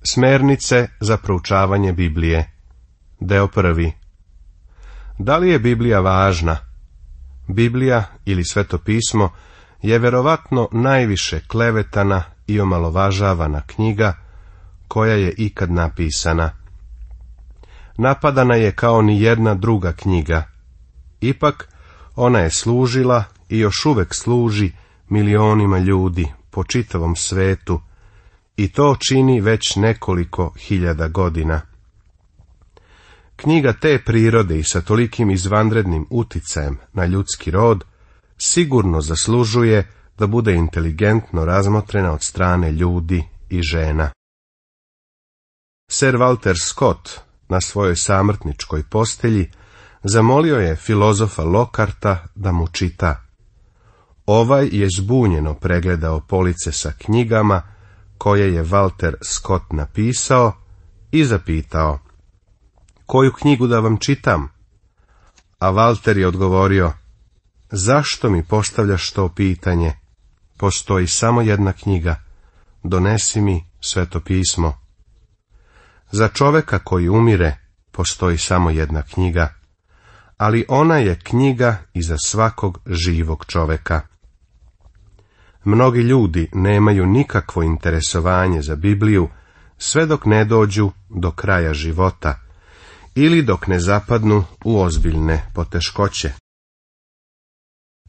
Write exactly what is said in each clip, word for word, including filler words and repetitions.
Smernice za proučavanje Biblije. Deo prvi. Da li je Biblija važna? Biblija ili Sveto pismo je verovatno najviše klevetana i omalovažavana knjiga koja je ikad napisana. Napadana je kao ni jedna druga knjiga. Ipak, ona je služila i još uvek služi milionima ljudi po čitavom svetu i to čini već nekoliko hiljada godina. Knjiga te prirode i sa tolikim izvanrednim uticajem na ljudski rod sigurno zaslužuje da bude inteligentno razmotrena od strane ljudi i žena. Sir Walter Scott na svojoj samrtničkoj postelji zamolio je filozofa Lockharta da mu čita. Ovaj je zbunjeno pregledao police sa knjigama koje je Walter Scott napisao i zapitao: koju knjigu da vam čitam? A Walter je odgovorio: zašto mi postavljaš to pitanje? Postoji samo jedna knjiga, donesi mi Sveto pismo. Za čoveka koji umire postoji samo jedna knjiga, ali ona je knjiga i za svakog živog čoveka. Mnogi ljudi nemaju nikakvo interesovanje za Bibliju sve dok ne dođu do kraja života ili dok ne zapadnu u ozbiljne poteškoće.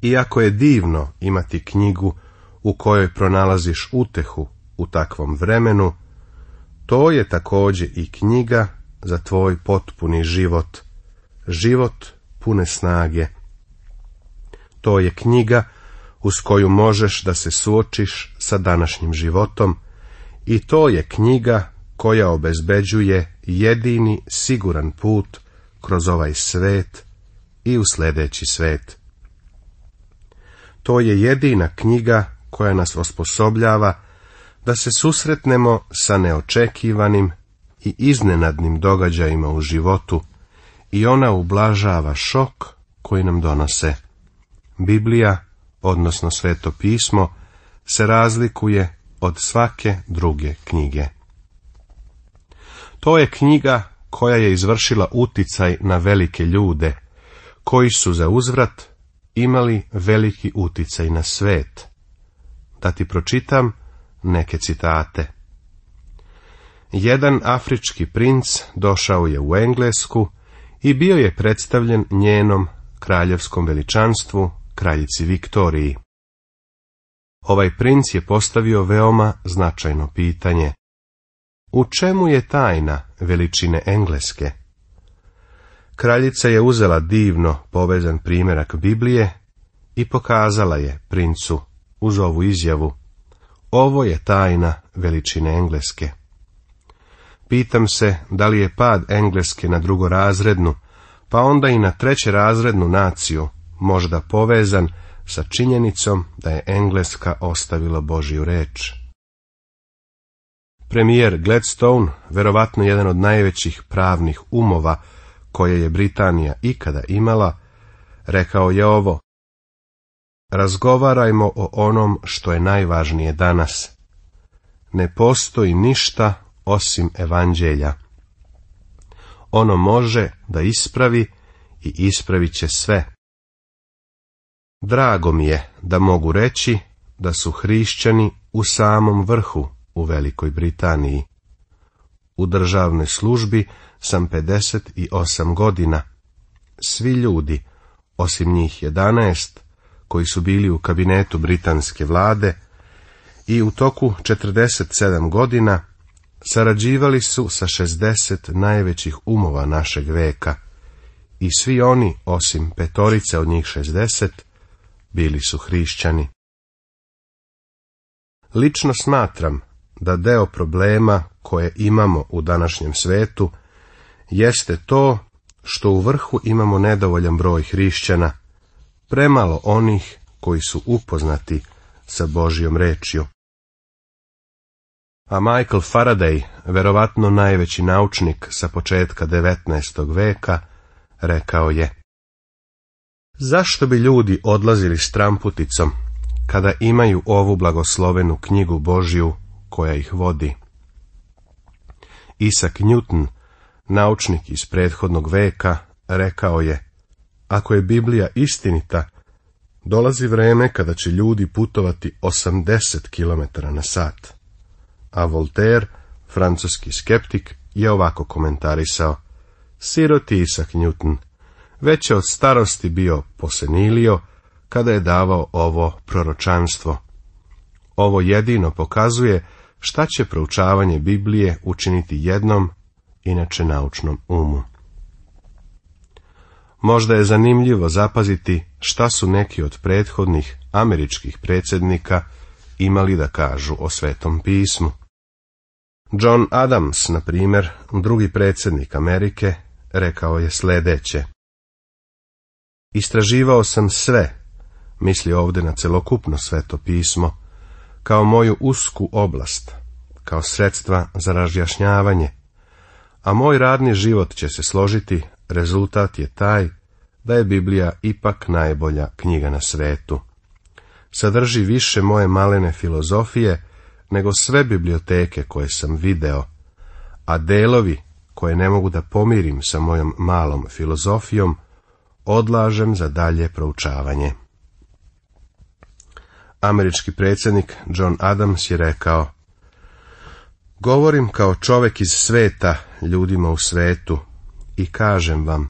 Iako je divno imati knjigu u kojoj pronalaziš utehu u takvom vremenu, to je također i knjiga za tvoj potpuni život, život pune snage. To je knjiga uz koju možeš da se suočiš sa današnjim životom i to je knjiga koja obezbeđuje jedini siguran put kroz ovaj svet i u sljedeći svet. To je jedina knjiga koja nas osposobljava da se susretnemo sa neočekivanim i iznenadnim događajima u životu i ona ublažava šok koji nam donose. Biblija, odnosno Sveto pismo, se razlikuje od svake druge knjige. To je knjiga koja je izvršila uticaj na velike ljude, koji su za uzvrat imali veliki uticaj na svet. Da ti pročitam neke citate. Jedan afrički princ došao je u Englesku i bio je predstavljen njenom kraljevskom veličanstvu, kraljici Viktoriji. Ovaj princ je postavio veoma značajno pitanje: u čemu je tajna veličine Engleske? Kraljica je uzela divno povezan primjerak Biblije i pokazala je princu uz ovu izjavu: ovo je tajna veličine Engleske. Pitam se da li je pad Engleske na drugorazrednu, pa onda i na trećerazrednu naciju možda povezan sa činjenicom da je Engleska ostavila Božju reč. Premijer Gladstone, verovatno jedan od najvećih pravnih umova koje je Britanija ikada imala, rekao je ovo: razgovarajmo o onom što je najvažnije danas. Ne postoji ništa osim evanđelja. Ono može da ispravi i ispravit će sve. Drago mi je da mogu reći da su hrišćani u samom vrhu u Velikoj Britaniji. U državnoj službi sam pedeset osam godina. Svi ljudi, osim njih jedanaest, koji su bili u kabinetu britanske vlade i u toku četrdeset sedam godina sarađivali su sa šezdeset najvećih umova našeg veka i svi oni, osim petorice od njih šezdeset, bili su hrišćani. Lično smatram da deo problema koje imamo u današnjem svetu jeste to što u vrhu imamo nedovoljan broj hrišćana, premalo onih koji su upoznati sa Božjom rečju. A Michael Faraday, verovatno najveći naučnik sa početka devetnaestog veka, rekao je: zašto bi ljudi odlazili stramputicom kada imaju ovu blagoslovenu knjigu Božju koja ih vodi? Isaac Newton, naučnik iz prethodnog veka, rekao je: ako je Biblija istinita, dolazi vreme kada će ljudi putovati osamdeset kilometara na sat. A Voltaire, francuski skeptik, je ovako komentarisao: siroti Isaac Newton, već je od starosti bio posenilio kada je davao ovo proročanstvo. Ovo jedino pokazuje šta će proučavanje Biblije učiniti jednom, inače naučnom umu. Možda je zanimljivo zapaziti šta su neki od prethodnih američkih predsjednika imali da kažu o Svetom pismu. John Adams, na primjer, drugi predsjednik Amerike, rekao je sljedeće: istraživao sam sve, misli ovdje na celokupno Sveto pismo, kao moju usku oblast, kao sredstva za razjašnjavanje, a moj radni život će se složiti, rezultat je taj da je Biblija ipak najbolja knjiga na svetu. Sadrži više moje malene filozofije nego sve biblioteke koje sam video, a delovi koje ne mogu da pomirim sa mojom malom filozofijom odlažem za dalje proučavanje. Američki predsjednik John Adams je rekao: govorim kao čovjek iz sveta ljudima u svetu i kažem vam,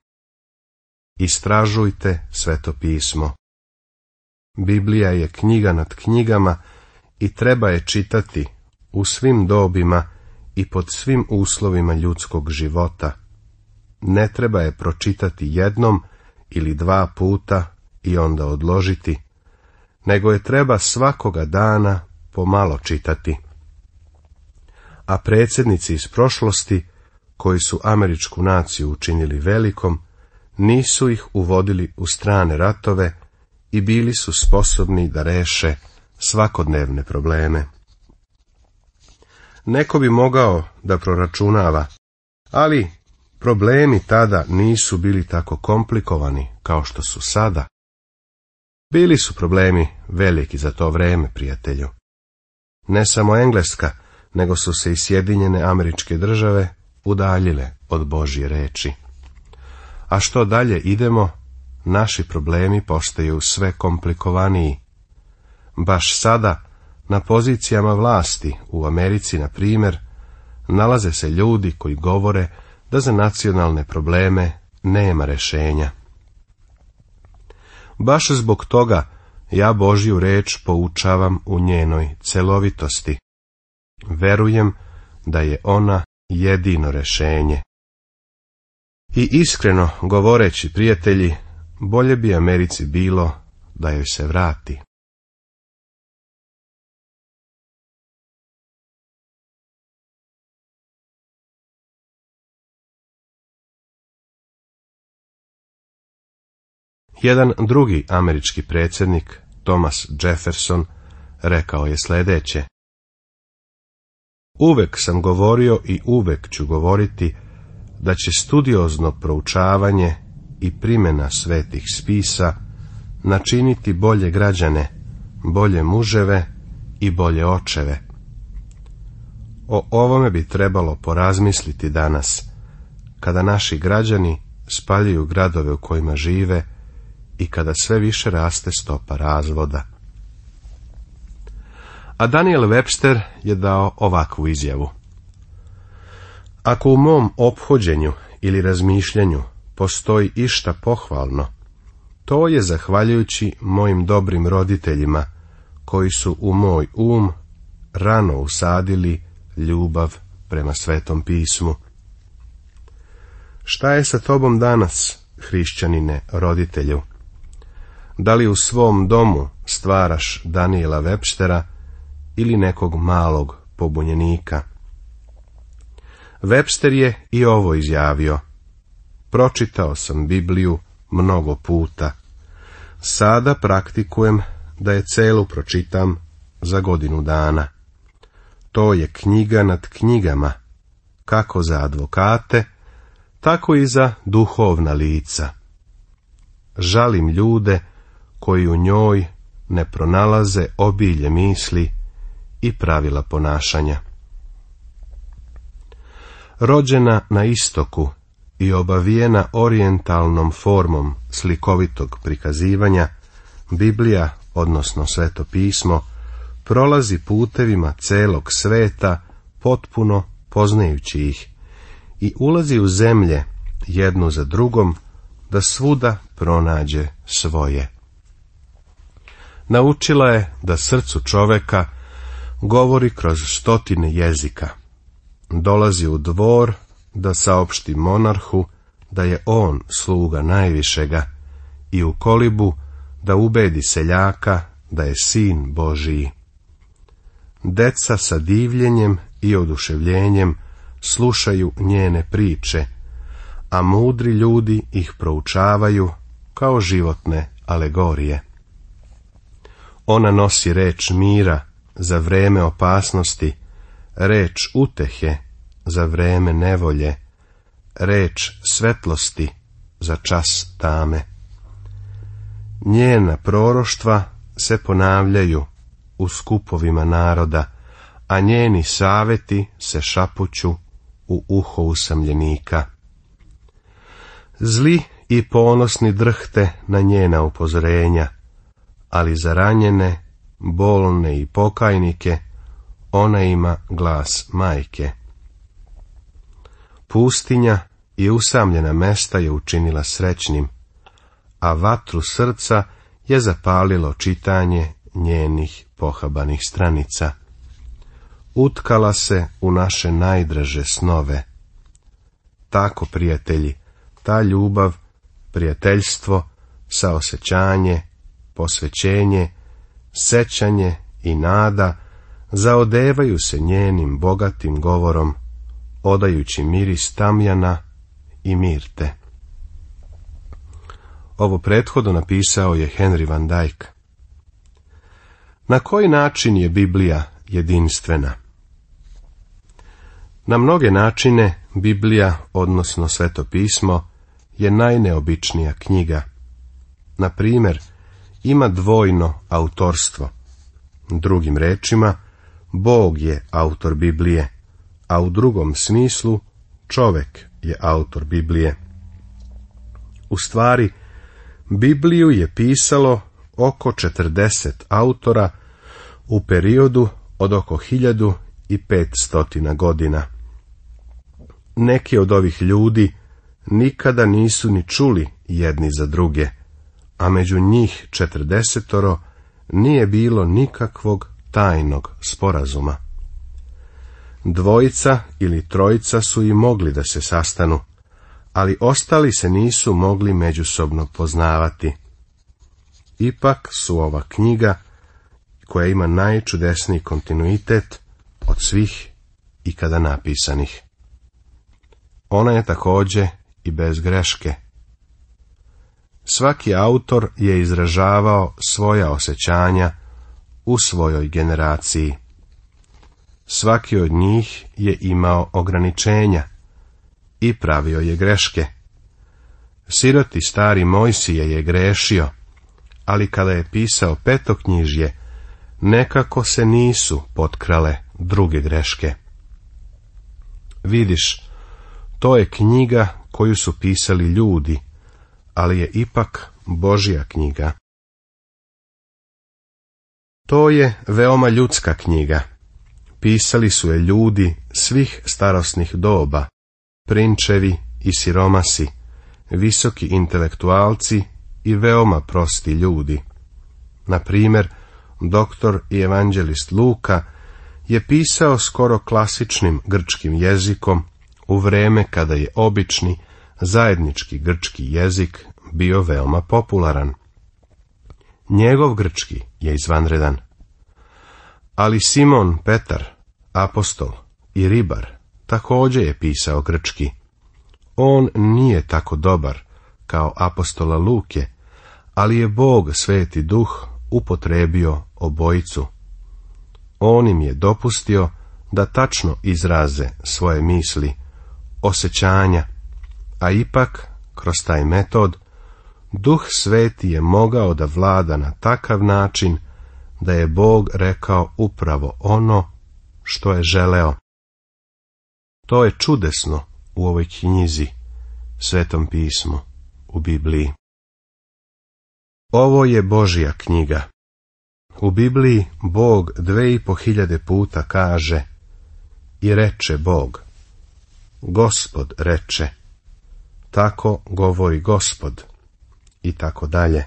istražujte Sveto pismo. Biblija je knjiga nad knjigama i treba je čitati u svim dobima i pod svim uslovima ljudskog života. Ne treba je pročitati jednom ili dva puta i onda odložiti, nego je treba svakoga dana pomalo čitati. A predsjednici iz prošlosti, koji su američku naciju učinili velikom, nisu ih uvodili u strane ratove i bili su sposobni da reše svakodnevne probleme. Neko bi mogao da proračunava, ali problemi tada nisu bili tako komplikovani kao što su sada. Bili su problemi veliki za to vreme, prijatelju. Ne samo Engleska, nego su se i Sjedinjene Američke Države udaljile od Božje reči. A što dalje idemo, naši problemi postaju sve komplikovaniji. Baš sada, na pozicijama vlasti u Americi, na primjer, nalaze se ljudi koji govore da za nacionalne probleme nema rješenja. Baš zbog toga ja Božju reč poučavam u njenoj celovitosti. Verujem da je ona jedino rješenje. I iskreno govoreći, prijatelji, bolje bi Americi bilo da joj se vrati. Jedan drugi američki predsjednik, Thomas Jefferson, rekao je sljedeće: uvek sam govorio i uvek ću govoriti da će studiozno proučavanje i primjena svetih spisa načiniti bolje građane, bolje muževe i bolje očeve. O ovome bi trebalo porazmisliti danas, kada naši građani spaljuju gradove u kojima žive i kada sve više raste stopa razvoda. A Daniel Webster je dao ovakvu izjavu: ako u mom ophođenju ili razmišljanju postoji išta pohvalno, to je zahvaljujući mojim dobrim roditeljima, koji su u moj um rano usadili ljubav prema Svetom pismu. Šta je sa tobom danas, hrišćanine, roditelju? Da li u svom domu stvaraš Daniela Webstera ili nekog malog pobunjenika? Webster je i ovo izjavio: pročitao sam Bibliju mnogo puta. Sada praktikujem da je celu pročitam za godinu dana. To je knjiga nad knjigama, kako za advokate, tako i za duhovna lica. Žalim ljude koji u njoj ne pronalaze obilje misli i pravila ponašanja. Rođena na istoku i obavijena orijentalnom formom slikovitog prikazivanja, Biblija, odnosno Sveto pismo, prolazi putevima celog sveta, potpuno poznajući ih, i ulazi u zemlje jednu za drugom, da svuda pronađe svoje. Naučila je da srcu čoveka govori kroz stotine jezika. Dolazi u dvor da saopšti monarhu da je on sluga najvišega i u kolibu da ubedi seljaka da je sin Božiji. Deca sa divljenjem i oduševljenjem slušaju njene priče, a mudri ljudi ih proučavaju kao životne alegorije. Ona nosi reč mira za vreme opasnosti, reč utehe za vreme nevolje, reč svetlosti za čas tame. Njena proroštva se ponavljaju u skupovima naroda, a njeni saveti se šapuću u uho usamljenika. Zli i ponosni drhte na njena upozorenja, ali za ranjene, bolne i pokajnike ona ima glas majke. Pustinja i usamljena mesta je učinila srećnim, a vatru srca je zapalilo čitanje njenih pohabanih stranica. Utkala se u naše najdraže snove. Tako, prijatelji, ta ljubav, prijateljstvo, saosećanje, posvećenje, sećanje i nada zaodevaju se njenim bogatim govorom, odajući miris tamjana i mirte. Ovo prethodno napisao je Henry van Dyke. Na koji način je Biblija jedinstvena? Na mnoge načine Biblija, odnosno Sveto pismo, je najneobičnija knjiga. Na primjer, ima dvojno autorstvo. Drugim rečima, Bog je autor Biblije, a u drugom smislu čovek je autor Biblije. U stvari, Bibliju je pisalo oko četrdeset autora u periodu od oko hiljadu i petstotina godina. Neki od ovih ljudi nikada nisu ni čuli jedni za druge, a među njih četrdesetoro nije bilo nikakvog tajnog sporazuma. Dvojica ili trojica su i mogli da se sastanu, ali ostali se nisu mogli međusobno poznavati. Ipak su ova knjiga, koja ima najčudesniji kontinuitet od svih ikada napisanih. Ona je također i bez greške. Svaki autor je izražavao svoja osjećanja u svojoj generaciji. Svaki od njih je imao ograničenja i pravio je greške. Siroti stari Mojsije je grešio, ali kada je pisao petoknjižje, nekako se nisu potkrale druge greške. Vidiš, to je knjiga koju su pisali ljudi, ali je ipak Božja knjiga. To je veoma ljudska knjiga. Pisali su je ljudi svih starosnih doba, prinčevi i siromasi, visoki intelektualci i veoma prosti ljudi. Na primjer, doktor i evanđelist Luka je pisao skoro klasičnim grčkim jezikom u vreme kada je obični zajednički grčki jezik bio veoma popularan. Njegov grčki je izvanredan. Ali Simon Petar, apostol i ribar, također je pisao grčki. On nije tako dobar kao apostola Luke, ali je Bog Sveti Duh upotrebio obojicu. On im je dopustio da tačno izraze svoje misli, osjećanja, a ipak, kroz taj metod, Duh Sveti je mogao da vlada na takav način da je Bog rekao upravo ono što je želeo. To je čudesno u ovoj knjizi, Svetom pismu, u Bibliji. Ovo je Božja knjiga. U Bibliji Bog dve i po hiljade puta kaže i reče Bog. Gospod reče. Tako govori Gospod. I tako dalje.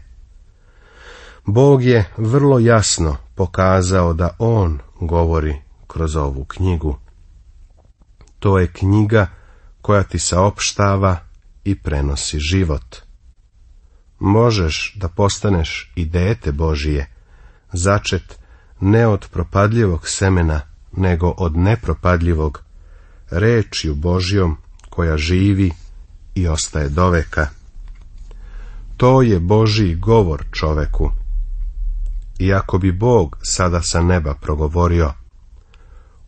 Bog je vrlo jasno pokazao da On govori kroz ovu knjigu. To je knjiga koja ti saopštava i prenosi život. Možeš da postaneš i dete Božije, začet ne od propadljivog semena, nego od nepropadljivog, rečju Božjom koja živi i ostaje doveka. To je Božji govor čoveku. Iako bi Bog sada sa neba progovorio,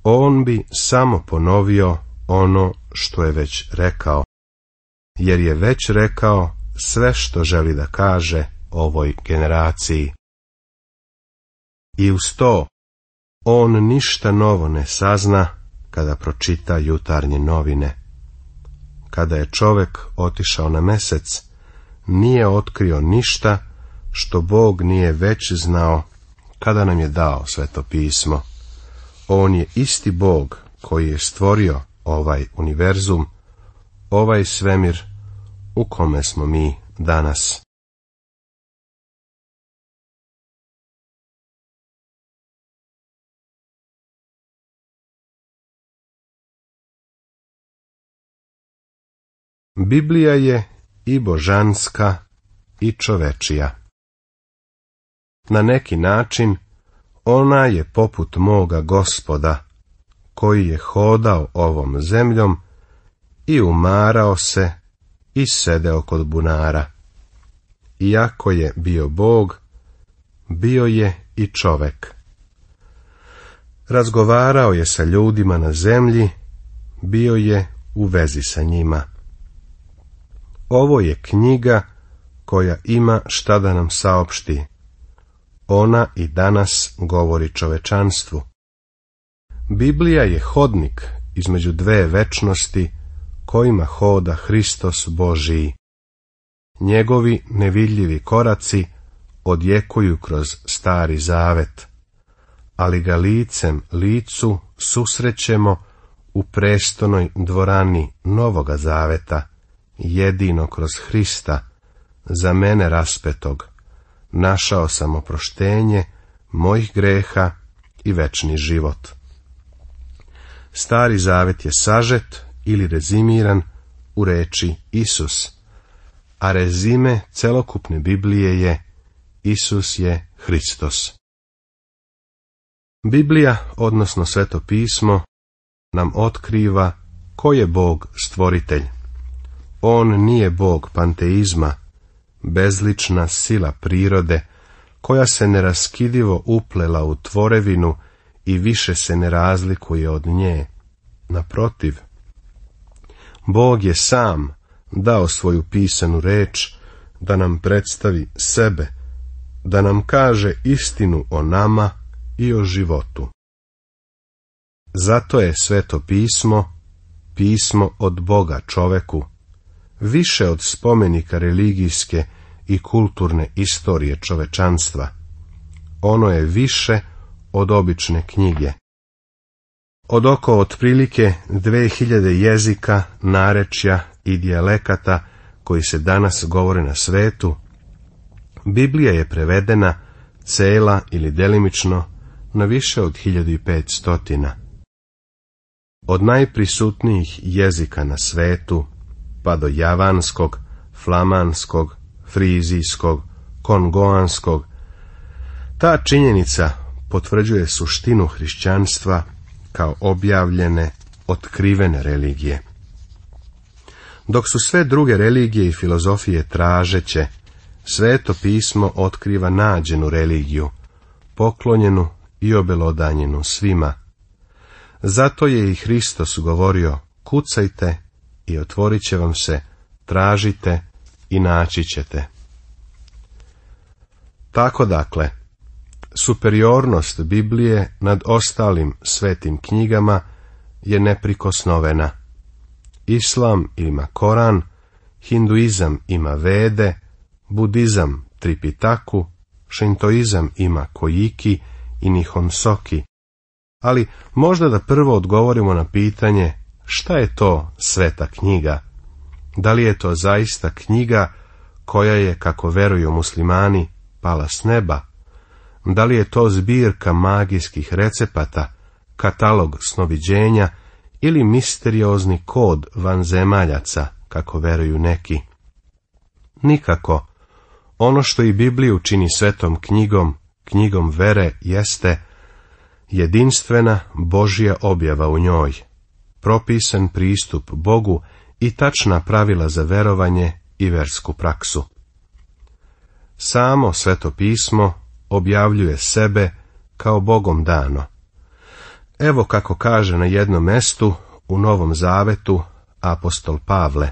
On bi samo ponovio ono što je već rekao, jer je već rekao sve što želi da kaže ovoj generaciji. I uz to, on ništa novo ne sazna kada pročita jutarnje novine. Kada je čovek otišao na mesec, nije otkrio ništa što Bog nije već znao kada nam je dao Sveto pismo. On je isti Bog koji je stvorio ovaj univerzum, ovaj svemir u kome smo mi danas. Biblija je i božanska i čovečija. Na neki način ona je poput moga Gospoda, koji je hodao ovom zemljom i umarao se i sedeo kod bunara. Iako je bio Bog, bio je i čovek. Razgovarao je sa ljudima na zemlji, bio je u vezi sa njima. Ovo je knjiga koja ima šta da nam saopšti. Ona i danas govori čovečanstvu. Biblija je hodnik između dve večnosti kojima hoda Hristos Božiji. Njegovi nevidljivi koraci odjekuju kroz Stari Zavet, ali ga licem licu susrećemo u prestonoj dvorani Novoga Zaveta, jedino kroz Hrista, za mene raspetog. Našao sam oproštenje mojih greha i večni život. Stari Zavet je sažet ili rezimiran u reči Isus, a rezime celokupne Biblije je Isus je Hristos. Biblija, odnosno Sveto pismo, nam otkriva ko je Bog stvoritelj. On nije Bog panteizma, bezlična sila prirode, koja se neraskidivo uplela u tvorevinu i više se ne razlikuje od nje. Naprotiv, Bog je sam dao svoju pisanu reč da nam predstavi sebe, da nam kaže istinu o nama i o životu. Zato je Sveto pismo, pismo od Boga čoveku, više od spomenika religijske i kulturne istorije čovečanstva. Ono je više od obične knjige. Od oko otprilike dve hiljade jezika, narečja i dijalekata koji se danas govore na svetu, Biblija je prevedena cela ili delimično na više od hiljadu i petstotina. Od najprisutnijih jezika na svetu, pa do javanskog, flamanskog, frizijskog, kongoanskog, ta činjenica potvrđuje suštinu hrišćanstva kao objavljene, otkrivene religije. Dok su sve druge religije i filozofije tražeće, Sveto pismo otkriva nađenu religiju, poklonjenu i obelodanjenu svima. Zato je i Hristos govorio, kucajte i otvorit će vam se, tražite i naći ćete. Tako dakle, superiornost Biblije nad ostalim svetim knjigama je neprikosnovena. Islam ima Koran, hinduizam ima Vede, budizam Tripitaku, šintoizam ima Kojiki i Nihon Soki. Ali možda da prvo odgovorimo na pitanje šta je to sveta knjiga? Da li je to zaista knjiga koja je, kako veruju muslimani, pala s neba? Da li je to zbirka magijskih recepata, katalog snoviđenja ili misteriozni kod vanzemaljaca, kako veruju neki? Nikako. Ono što i Bibliju čini svetom knjigom, knjigom vere, jeste jedinstvena Božja objava u njoj, propisan pristup Bogu i tačna pravila za verovanje i versku praksu. Samo Sveto pismo objavljuje sebe kao Bogom dano. Evo kako kaže na jednom mestu u Novom Zavetu apostol Pavle: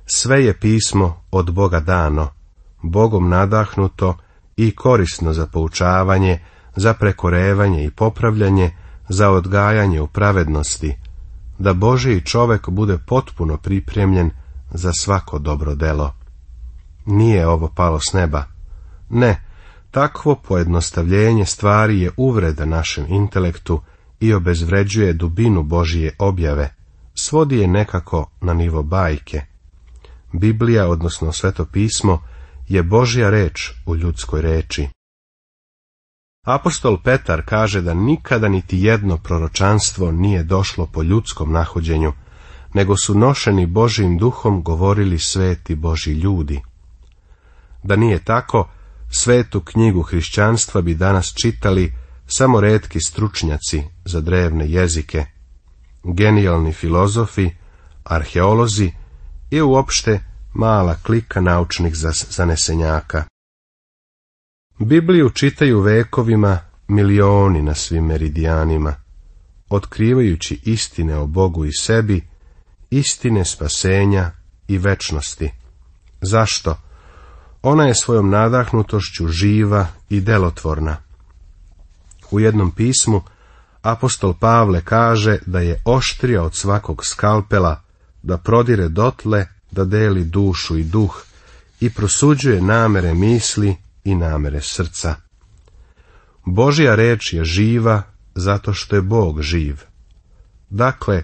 sve je pismo od Boga dano, Bogom nadahnuto i korisno za poučavanje, za prekorevanje i popravljanje, za odgajanje u pravednosti, da Božji čovek bude potpuno pripremljen za svako dobro delo. Nije ovo palo s neba. Ne, takvo pojednostavljenje stvari je uvreda našem intelektu i obezvređuje dubinu Božje objave, svodi je nekako na nivo bajke. Biblija, odnosno Sveto pismo, je Božja reč u ljudskoj reči. Apostol Petar kaže da nikada niti jedno proročanstvo nije došlo po ljudskom nahođenju, nego su nošeni Božjim duhom govorili sveti Božji ljudi. Da nije tako, svetu knjigu hrišćanstva bi danas čitali samo retki stručnjaci za drevne jezike, genijalni filozofi, arheolozi i uopšte mala klika naučnih zanesenjaka. Bibliju čitaju vekovima milioni na svim meridijanima, otkrivajući istine o Bogu i sebi, istine spasenja i večnosti. Zašto? Ona je svojom nadahnutošću živa i delotvorna. U jednom pismu apostol Pavle kaže da je oštrija od svakog skalpela, da prodire dotle, da deli dušu i duh i prosuđuje namere misli i namere srca. Božja reč je živa zato što je Bog živ. Dakle,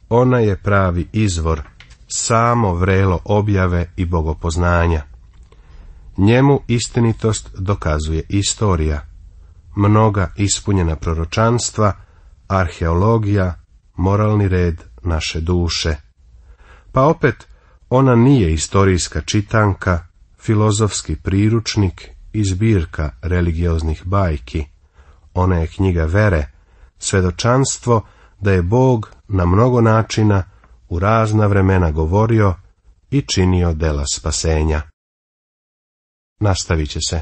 ona je pravi izvor, samo vrelo objave i bogopoznanja. Njemu istinitost dokazuje istorija, mnoga ispunjena proročanstva, arheologija, moralni red naše duše. Pa opet, ona nije istorijska čitanka, filozofski priručnik i zbirka religioznih bajki. Ona je knjiga vere, svedočanstvo da je Bog na mnogo načina u razna vremena govorio i činio dela spasenja. Nastavit će se.